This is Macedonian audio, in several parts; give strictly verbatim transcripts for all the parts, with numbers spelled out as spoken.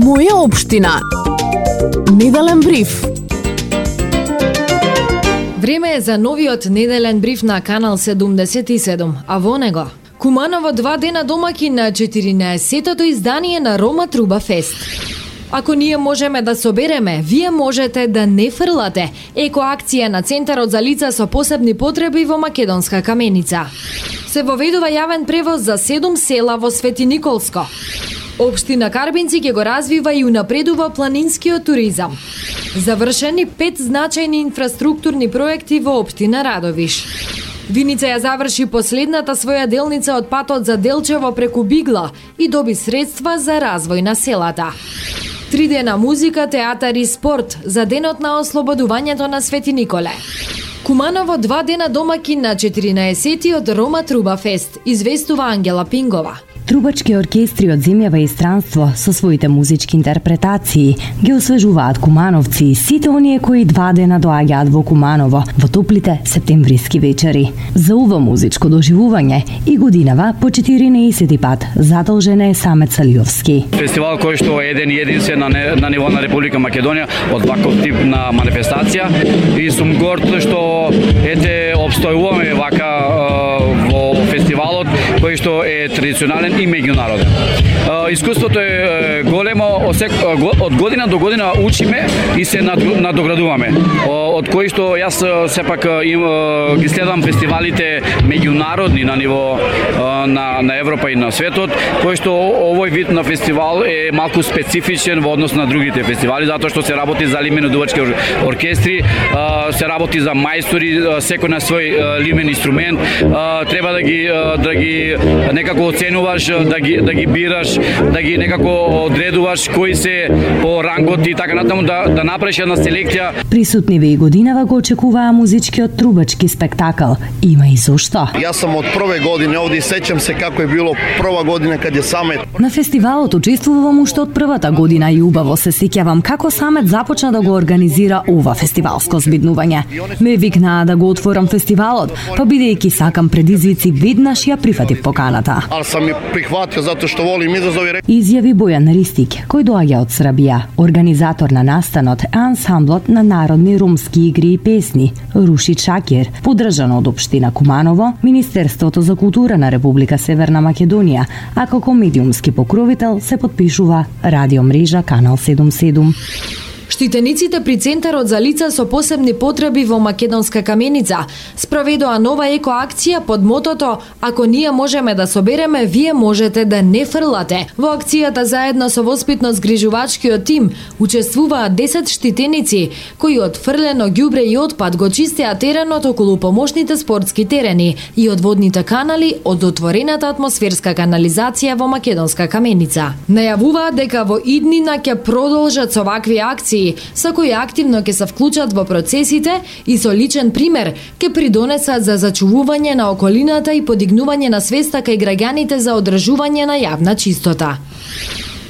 Моја општина. Неделен бриф. Време е за новиот неделен бриф на Канал седумдесет и седум, а во него Куманово два дена домаќин на четиринаесеттото издание на Рома Труба Фест. Ако ние можеме да собереме, вие можете да не фрлате. Екоакција на Центарот за лица со посебни потреби во Македонска Каменица. Се воведува јавен превоз за седум села во Свети Николско. Општина Карбинци ќе го развива и унапредува планинскиот туризам. Завршени пет значајни инфраструктурни проекти во општина Радовиш. Виница ја заврши последната своја делница од патот за Делчево преку Бигла и доби средства за развој на селата. Три дена музика, театар и спорт за денот на ослободувањето на Свети Николе. Куманово два дена домаќин на четиринаесеттиот Рома Труба Фест, известува Ангела Пингова. Трубачки оркестри од земјава и странство со своите музички интерпретации ги освежуваат кумановци и сите оние кои два дена доаѓаат во Куманово во топлите септемвриски вечери. За ова музичко доживување и годинава по четиринаесети пат задолжен е Самет Салиовски. Фестивал кој што е еден и единствен на, не, на ниво на Република Македонија од ваков тип на манифестација и сум горд што ете обстојуваме вака е, во фестивалот кој што е традиционален и меѓународен. Искуството е големо, од година до година учиме и се надоградуваме. Од кои што јас сепак им ги следам фестивалите меѓународни на ниво на на Европа и на светот, кој што овој вид на фестивал е малку специфичен во однос на другите фестивали, затоа што се работи за лимено-дувачки оркестри, се работи за мајстори, секој на свој лимен инструмент, треба да ги да ги некако оценуваш, да ги да ги бираш, да ги некако одредуваш кои се по рангот и така натаму да да направиш една селекција. Присутниве и годинава го очекуваа музичкиот трубачки спектакл. Има и зошто. Јас сум од прве години овде и сеќам се како е било прва година каде Самет. На фестивалот учествувам уште од првата година и убаво се сеќавам како Самет започна да го организира ова фестивалско збиднување. Ме викнаа да го отворам фестивалот, па бидејќи сакам предизвици, веднаш ја прифатив поканата. Ал сам ја прихватил затоа што волим изазови. Изјави Бојан Ристик, кој доаѓа од Србија, организатор на настанот е ансамблот на народни ромски игри и песни Руши Чакир, поддржан од општина Куманово, Министерството за култура на Република Северна Македонија, а како медиумски покровител се подпишува радио мрежа Канал седумдесет и седум. Штитениците при Центарот за лица со посебни потреби во Македонска Каменица спроведоа нова екоакција под мотото "Ако ние можеме да собереме, вие можете да не фрлате". Во акцијата заедно со воспитно-згрижувачкиот тим учествуваат десет штитеници кои од фрлено ѓубре и отпад го чистеа теренот околу помошните спортски терени и од водните канали од отворената атмосферска канализација во Македонска Каменица. Најавуваат дека во иднина ќе продолжат со вакви акции со кои активно ќе се вклучат во процесите и со личен пример ќе придонесат за зачувување на околината и подигнување на свеста кај граѓаните за одржување на јавна чистота.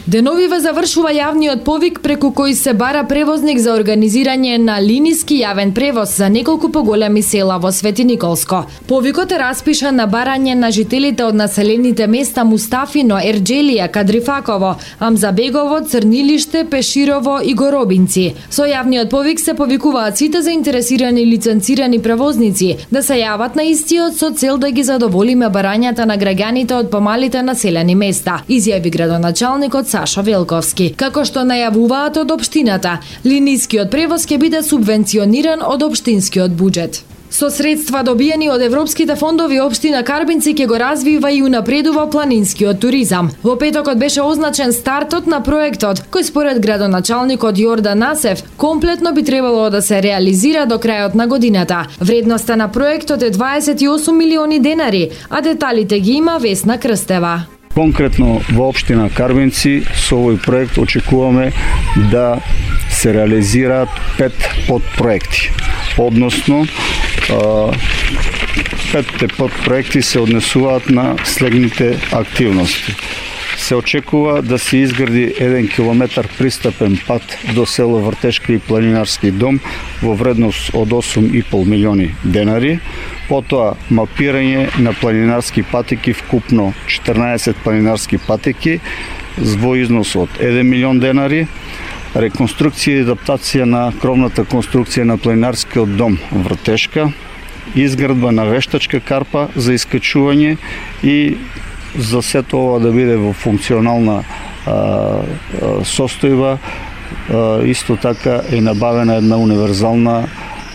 Деновиве завршува јавниот повик преку кој се бара превозник за организирање на линиски јавен превоз за неколку поголеми села во Свети Николско. Повикот е распишан на барање на жителите од населените места Мустафино, Ерџелија, Кадрифаково, Амзабегово, Црнилиште, Пеширово и Горобинци. Со јавниот повик се повикуваат сите заинтересирани лиценцирани превозници да се јават на истиот со цел да ги задоволиме барањата на граѓаните од помалите населени места, изјави градоначалникот Сашо Велковски. Како што најавуваат од општината, линискиот превоз ќе биде субвенциониран од општинскиот буџет. Со средства добиени од европските фондови, општина Карбинци ќе го развива и унапредува планинскиот туризам. Во петокот беше означен стартот на проектот, кој според градоначалникот Јордан Насев комплетно би требало да се реализира до крајот на годината. Вредноста на проектот е дваесет и осум милиони денари, а деталите ги има Весна Крстева. Конкретно во општина Карбинци со овој проект очекуваме да се реализираат пет подпроекти, односно петте подпроекти се однесуваат на следните активности. Се очекува да се изгради еден километар пристапен пат до село Вртешка и планинарски дом во вредност од осум и пол милиони денари. Потоа мапирање на планинарски патеки, вкупно четрнаесет планинарски патеки, во износ од еден милион денари, реконструкција и адаптација на кровната конструкција на планинарскиот дом Вртешка, изградба на вештачка карпа за искачување и за сето ова да биде во функционална а, а, состојба. А, исто така е набавена една универзална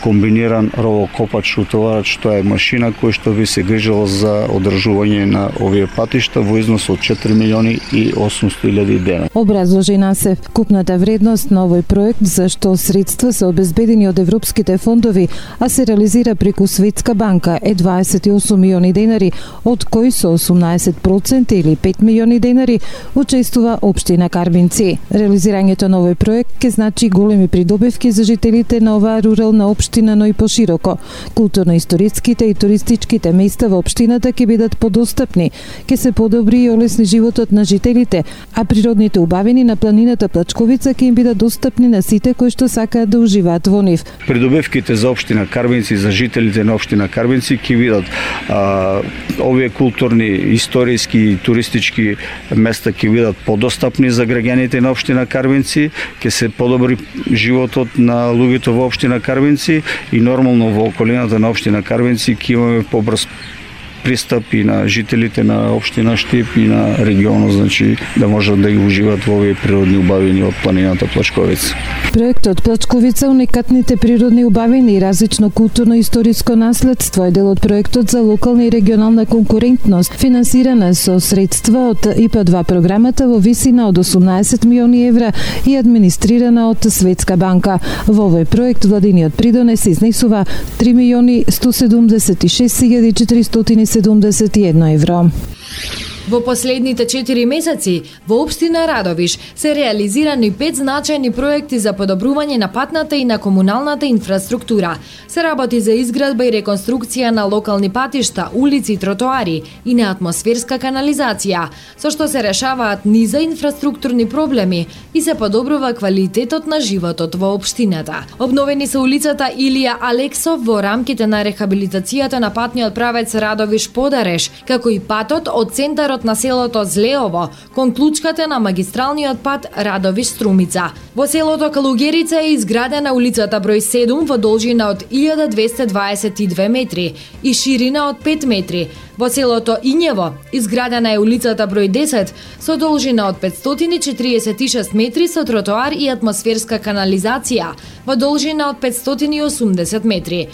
комбиниран ровокопач утоварач, тоа е машина која што би се грижала за одржување на овие патишта во износ од четири милиони и осумсто илјади денари. Образложи Насев, купната вредност на овој проект за што средства се обезбедени од европските фондови, а се реализира преку Светска банка е дваесет и осум милиони денари, од кои со осумнаесет проценти или пет милиони денари учествува општина Карбинци. Реализирањето на овој проект ќе значи големи придобивки за жителите на оваа рурална општина, но и пошироко. Културно-историските и туристичките места во општината ќе бидат подостапни, ќе се подобри и олесни животот на жителите, а природните убавини на планината Плачковица ќе им бидат достапни на сите кои што сакаат да уживаат во нив. Придобивките за општина Карбинци, за жителите на општина Карбинци ќе бидат а, овие културни, историски и туристички места ќе бидат подостапни за граѓаните на општина Карбинци, ќе се подобри животот на луѓето во општина Карбинци и нормално во околината на општина Карбинци ќе имаме побрз пристап и на жителите на општина Штип и на регионот, значи да можат да ги уживаат во овие природни убавини од планината Плачковица. Проектот Плачковица, уникатните природни убавини и различно културно-историско наследство е дел од проектот за локална и регионална конкурентност, финансирана со средства од И П два програмата во висина од осумнаесет милиони евра и администрирана од Светска банка. Во овој проект владиниот придонес изнесува три милиони сто седумдесет и шест илјади четиристотини седумдесет и едно евро. Во последните четири месеци во општина Радовиш се реализирани пет значајни проекти за подобрување на патната и на комуналната инфраструктура. Се работи за изградба и реконструкција на локални патишта, улици, тротоари и на атмосферска канализација, со што се решаваат низа инфраструктурни проблеми и се подобрува квалитетот на животот во општината. Обновени се улицата Илија Алексов во рамките на рехабилитацијата на патниот правец Радовиш-Подареш, како и патот од центарот на селото Злеово кон клучката на магистралниот пат Радовиш-Струмица. Во селото Калугерица е изградена улицата број седум во должина од илјада двесте дваесет и две метри и ширина од пет метри. Во селото Ињево изградена е улицата број десет со должина од петстотини четириесет и шест метри со тротоар и атмосферска канализација во должина од петстотини и осумдесет метри.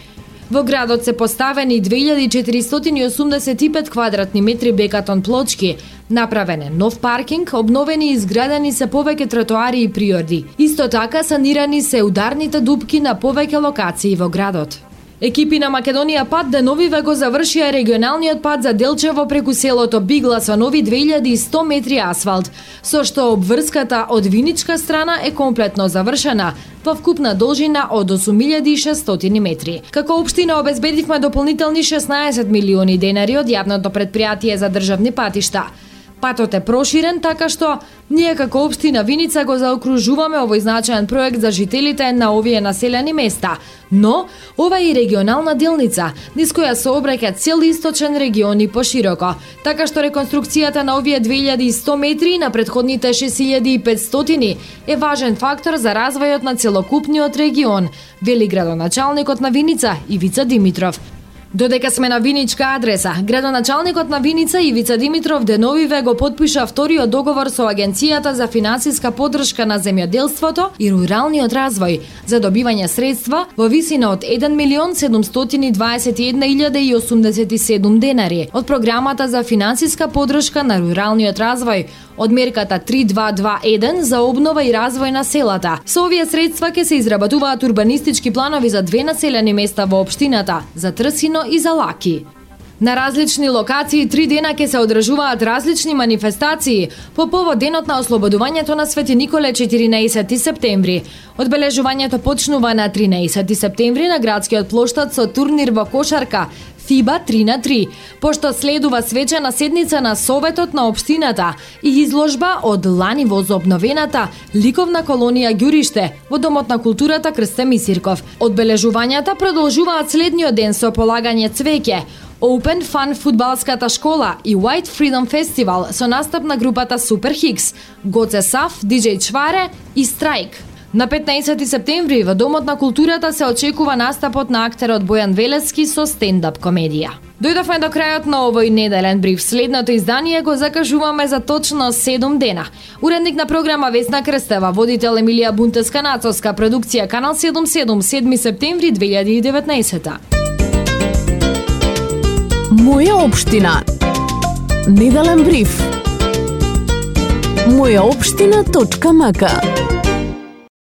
Во градот се поставени две илјади четиристотини и осумдесет и пет квадратни метри бекатон плочки, направен е нов паркинг, обновени и изградени се повеќе тротоари и приорди. Исто така санирани се ударните дупки на повеќе локации во градот. Екипи на Македонија пат деновиве го завршија регионалниот пат за Делчево преку селото Бигла со нови две илјади и сто метри асфалт, со што обврската од виничка страна е комплетно завршена во вкупна должина од осум илјади и шестстотини метри. Како општина обезбедивме дополнителни шеснаесет милиони денари од јавното претпријатие за државни патишта. Патот е проширен, така што ние како општина Виница го заокружуваме овој значаен проект за жителите на овие населени места. Но, ова е и регионална делница, низ која се обраќа цел источен регион и пошироко, така што реконструкцијата на овие две илјади и сто метри на претходните шест илјади и петстотини е важен фактор за развојот на целокупниот регион, вели градоначалникот на Виница Ивица Димитров. Додека сме на виничка адреса, градоначалникот на Виница Ивица Димитров деновиве го потпиша вториот договор со Агенцијата за финансиска поддршка на земјоделството и руралниот развој за добивање средства во висина од еден милион седумстотини дваесет и една илјада и осумдесет и седум денари од програмата за финансиска поддршка на руралниот развој од мерката три два два еден за обнова и развој на селата. Со овие средства ќе се изработуваат урбанистички планови за две населени места во општината, за Трсино и за Лаки. На различни локации три дена ќе се одржуваат различни манифестации по повод денот на ослободувањето на Свети Николе четиринаесети септември. Одбележувањето почнува на тринаесети септември на градскиот плоштад со турнир во кошарка ФИБА три на три, пошто следува свечена седница на Советот на општината и изложба од лани возобновената ликовна колонија Ѓуриште во Домот на културата Крсте Мисирков. Одбележувањата продолжуваат следниот ден со полагање цвеќе, Open Fun фудбалската школа и White Freedom Festival со настап на групата Super Hicks, Гоце Сав, диџеј Чваре и Страйк. На петнаесети септември во Домот на културата се очекува настапот на актерот Бојан Велески со стендап комедија. Дојдовме до крајот на овој неделен бриф. Следното издание го закажуваме за точно седум дена. Уредник на програма Весна Крстева, водител Емилија Бунтеска-Нацовска, продукција Канал седумдесет и седум, седми септември две илјади и деветнаесета. Моја општина. Неделен бриф. моја општина точка м к